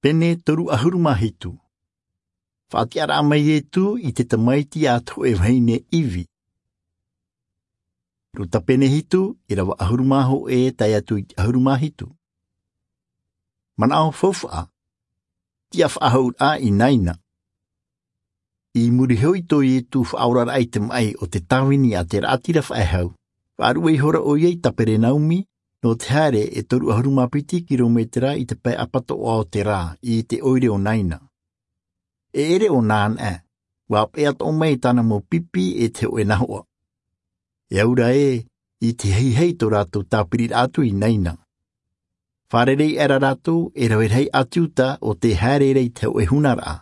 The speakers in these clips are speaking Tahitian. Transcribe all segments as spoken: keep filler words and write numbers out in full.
Pene toru ʻahuru mā hitu. Faʻatiʻaraʻa mai Ietu i te tamaiti a te hōʻē vahine ivi. Ruta pene hitu, ʻirava ʻahuru mā hōʻē tae atu i te ʻahuru mā hitu. Manaʻo faufaʻa. Tiʻa faʻahou ʻa ʻinaina. I muri iho i tō Ietu faʻaoraraʻa i te maʻi o te tāvini a te raʻatira faʻehau, faʻaruʻe ihora ʻoia i Taperenaumi, nō te haere e toru ʻahuru mā piti kirometera i te pae ʻapatoʻa o te rā, i te ʻoire o Naina. E ʻere ʻōna anaʻe, ʻua peʻa toʻo mai tāna mau pipi e te hōʻē nahoʻa. E aura ē, i te haihai tō rātou tāpiriraʻa atu i Naina. Fārerei aʻera rātou e rave rahi ʻāti Iuta ʻo tē haere ra i te hōʻē hunaraʻa.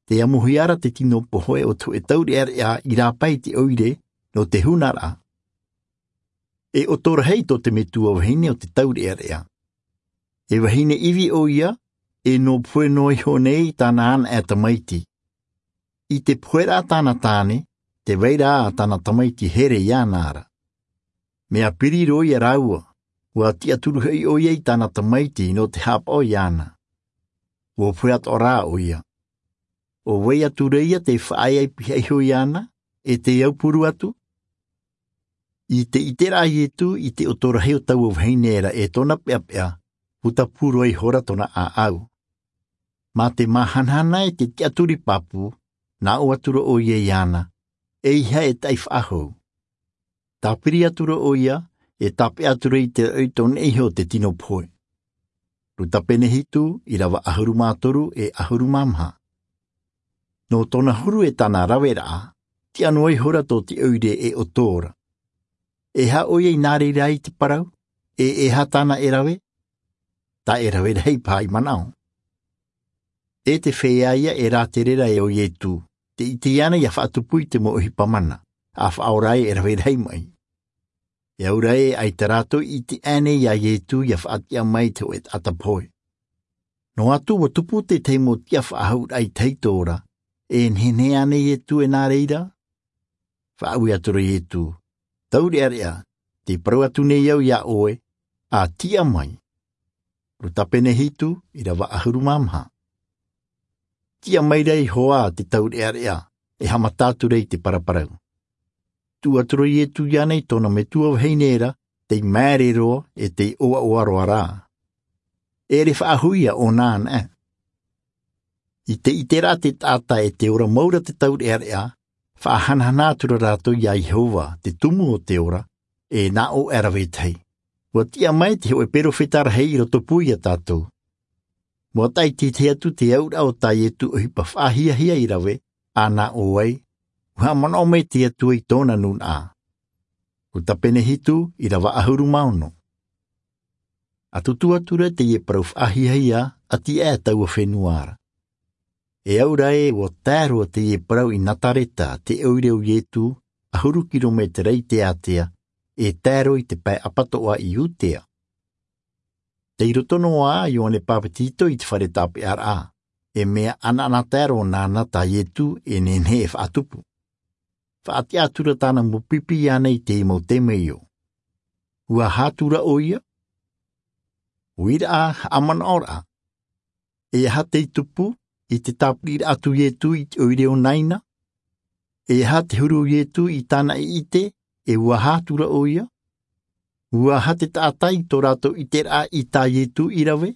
Tē amohia ra te tino pohe o te hōʻē taureʻareʻa i rāpae i te ʻoire nō te hunaraʻa. E ʻoto rahi tō te metua vahine o te taureʻareʻa. E vahine ivi ʻoia, e nō pohe noa iho nei tāna anaʻe tamaiti. I te poheraʻa tāna tāne, tē vai ra tāna tamaiti here iāna ra. Mea piri roa ia rāua, ʻua tiʻaturi hoʻi ʻoia i tāna tamaiti nō te haʻapaʻo iāna. ʻUa pohe atoʻa rā ʻoia. ʻO vai atu ra ia tē faʻaea i pihaʻi iho iāna, e tē aupuru atu? I te ʻiteraʻa a Ietu i te ʻoto rahi o taua vahine ra e tōna peʻapeʻa, puta pū roa ihora tōna ʻāʻau. Mā te māhanahana e te tiʻaturi pāpū, nā ʻō atu ra ʻoia iāna, ʻeiaha e taʻi faʻahou. Tāpiri atu ra ʻoia, e tāpeʻa atu ra i te raʻi tō neʻi iho te tino pohe. Ruta pene hitu, ʻirava ʻahuru mā toru e ʻahuru mā maha. Nō tōna huru e tāna raveraʻa, tiʻa noa ihora tō te ʻoire e ʻoto ra. E aha ʻoia i nā reira i te parau, e e aha tāna e rave? Taʻe rave rahi paha i manaʻo. E te feiā ia e rātere ra e ʻo Ietu, tē ʻite iāna ʻia faʻatupu i te mau ʻohipa mana, ʻa faʻaora ai e rave rahi maʻi. E aura ē, ʻaita rātou i ʻite ānei iā Ietu ʻia faʻatiʻa mai te hōʻē taʻata pohe. Noa atu ʻua tupu te tahi mau tiʻa faʻahouraʻa i te tahito ra, e nehenehe ānei Ietu e nā reira? Faʻaui atu ra Ietu, taureʻareʻa, tē parau atu nei au iā ʻoe, ʻa tiʻa mai. Ruta pene hitu, ʻirava ʻahuru mā maha. Tiʻa mai ra iho ā te taureʻareʻa, e haʻamata atu ra i te paraparau. Tuʻu atu ra Ietu iāna i tōna metua vahine ra, tei māere roa, e tei ʻoaʻoa roa rā. E ʻere faʻahou ia ʻōna anaʻe. I te ʻiteraʻa te taʻata e tē ora mau ra te taureʻareʻa, faʻahanahana atu ra rātou iā Iehova, te tumu o te ora, e nā ʻō aʻera vetahi. ʻUa tiʻa mai te hōʻē perofeta rahi i rotopū iā tātou. ʻUa taʻa ʻitehia atu te auraʻa o tā Ietu ʻohipa faʻahiahia i rave, ʻa nā ʻō ai, ʻua haʻamanaʻo mai te Atua i tōna nūnaʻa. Ruta pene hitu, ʻirava ʻahuru mā ono. ʻA tutu atu ra teie parau faʻahiahia, ʻati aʻe taua fenua ra. E aura ē, ʻua tae roa teie parau i Nazareta, te ʻoire o Ietu, ʻahuru kirometera i te ātea, e tae roa i te pae ʻapatoʻa i Iudea. Tei roto noa ā Ioane Papetito i te fare tāpeʻaraʻa, e mea ʻanaʻanatae roa nāna tā Ietu e nehenehe e faʻatupu. Faʻatiʻa atu ra tāna mau pipi iāna i te mau temeio. ʻUa aha atu ra ʻoia? ʻUa ʻite ā, haʻamanaʻo ra. E aha tei tupu, i te tāpiriraʻa atu Ietu i te ʻoire o Naina? E aha te huru o Ietu i tāna i ʻite, e ʻua aha atu ra ʻoia? ʻUa aha te taʻata i tō rātou ʻiteraʻa i tā Ietu i rave?